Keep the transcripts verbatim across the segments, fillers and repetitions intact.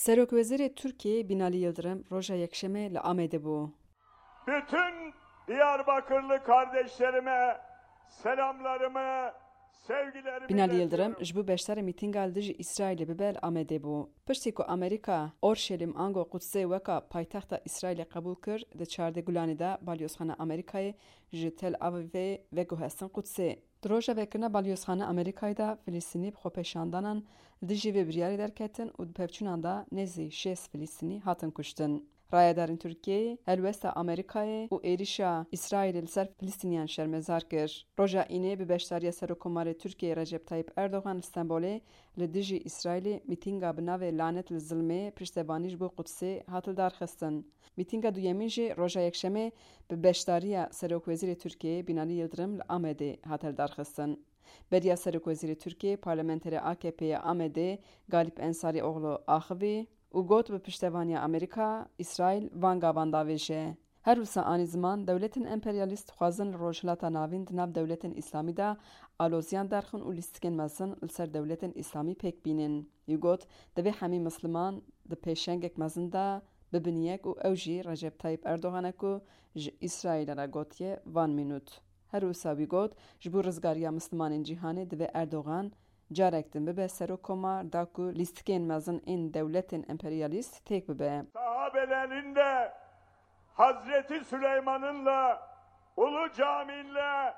Serokwezîrê Tirkiyeyê Binalî Yildirim roja Yekşemê li Amedê bû. Bütün Diyarbakırlı kardeşlerime selamlarımı, sevgilerimi Binalî Yildirim iletiyorum. Ji bo beşdarî mîtînga li dijî Îsraîlê bibe li Amedê bû. Piştî ku Amerîka Orşelîm ango Qudsê weka paytexta Îsraîlê qebûl kir, di çardeh Gulanê de balyozxana Amerîkayê ji Tel Avivê veguhestin Qudsê. Di roja vekirina balyozxana Amerîkayê de Filistînî bi xwepêşandanan li dijî vê biryarê derketin û di pevçûnan de nêzî şêst Filistînî hatin kuştin. Rayedarên Tirkiyeyê helwesta Amerîkayê û êrîşa Îsraîlê li ser Filistîniyan şermezar kir. Roja Înê bi beşdariya Serokkomarê Tirkiyeyê Recep Tayyip Erdogan li Stenbolê li dijî Îsraîlê mîtînga bi navê Lanet li Zilmê piştevanî ji bo Qudsê hat lidarxistin. Mîtînga duyemîn jî roja Yekşemê bi beşdariya Serokwezîrê Tirkiyeyê Binalî Yildirim li Amedê hat lidarxistin. Beriya Serokwezîrê Tirkiyeyê parlamenterê A K P'ê ya Amedê Galip Ensarîoglu axivî û got, bi piştevaniya Amerîka, Îsraîl van gavan davêje. Her wisa anî ziman, dewletên emperyalîst dixwazin li Rojhilata Navîn di nav dewletên Îslamî de aloziyan derxin û lîstikên mezin li ser dewletên Îslamî pêk bînin. Wî got, divê hemî misliman di pêşengek mezin de bibin yek û ew jî Recep Tayyip Erdogan e ku ji Îsraîlê re gotiye van mînût. Her wisa wî got, ji bo rizgariya mislimanên cîhanê divê Erdogan carek din bibe serokkomar, da ku lîstikên mezin ên dewletên emperyalîst têk bibe. Sahabelerinde Hazreti Süleyman'ınla Ulu Cami'nle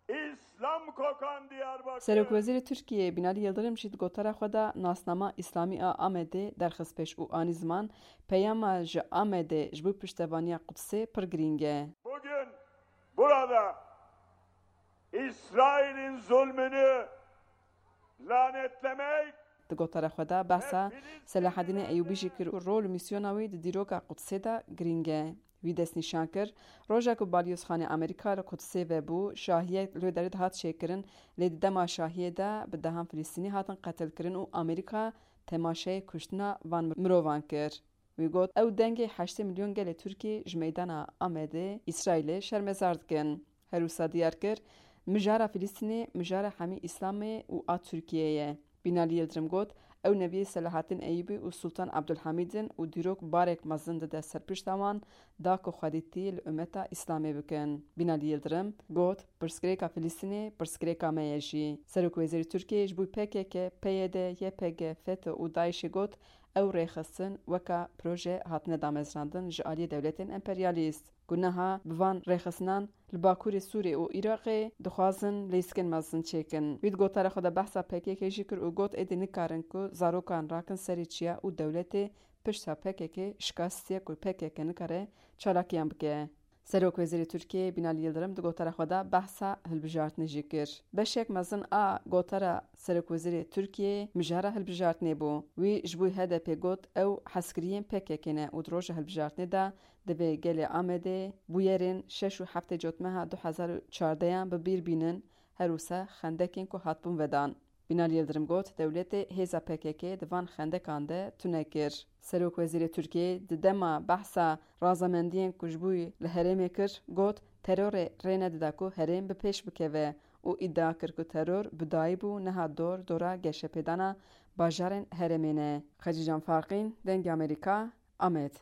İslam kokan Diyarbakır. Serokwezîrê Tirkiyeyê Binalî Yildirim jî di gotara xwe de nasnama Îslamî a Amedê derxist pêş û anî ziman, peyama ji Amedê ji bo piştevaniya Qudsê pir girîng e. Bugün burada İsrail'in zulmünü lanetlemek Di gotara xwe de behsa Selahedînê Eyûbî jî kir û rol û mîsyona wî di dîroka Qudsê de girîng e. Wî destnîşan kir, roja ku balyozxanê Amerîka li Qudsê vebû, şahiyek li wê derê dihat çêkirin, lê di dema şahiyê de bi dehan Filistînî hatin qetilkirin û Amerîka temaşeyê kuştina van mirovan kir. Wî got, ew dengê heştê milyon gelê Tirkî ji meydana Amedê Îsraîlê şermezar dikin. Her wisa diyar kir, mijara Filistînê mijara hemî Îslamê û a Tirkiyeyê ye. Binalî Yildirim got, ew neviyê Selahaddin Eyûbî û Sultan Abdulhamîd in û dîrok barek mezin dide ser pişta wan, da ku xwedîtî li umeta Îslamê bikin. Binalî Yildirim got, pirsgirêka Filistînê pirsgirêka me ye jî. Serokwezîrê Tirkiyê ji bo P K K, P Y D, Y P G, FETÖ û DAIŞ'ê got, ew rêxistin weka proje hatine damezrandin ji aliyê dewletên emperyalîst, ku niha bi van rêxistinan li Bakurê Sûrê û Iraqê dixwazin lîstikên mezin çêkin. Wî di gotara xwe de behsa P K K jî kir û got, êdî nikarin ku zarokan rakin serê çiya û dewletê pişta P K K şikestiye ku P K K nikare çalakiyan bike. Serokwezîrê Tirkiyeyê Binalî Yildirim di gotara xwe de behsa hilbijartinê jî kir. Beşek mezin a gotara Serokwezîrê Tirkiyeyê mijara hilbijartinê bû. Wî ji bo H D P got, ew hezkiriyên P K K ne û di roja hilbijartinê de divê gelê Amedê bûyerên şeş û heftê Cotmeha du hezar û çardeh yan bi bîr bînin, her wisa xendekên ku hatibûn vedan. Binalî Yildirim got, dewletê hêza P K K di van xendekan de tune kir. Serokwezîrê Tirkiyeyê di dema behsa razamendiyên ku ji bo li herêmê kir, got, terorê rê nedida ku herêm bi pêş bikeve û îdia kir ku teror bi dayî bû, niha dor dora geşepêdana bajarên herêmê ne. Xecîcan Farqîn, Dengê Amerîka, Amed.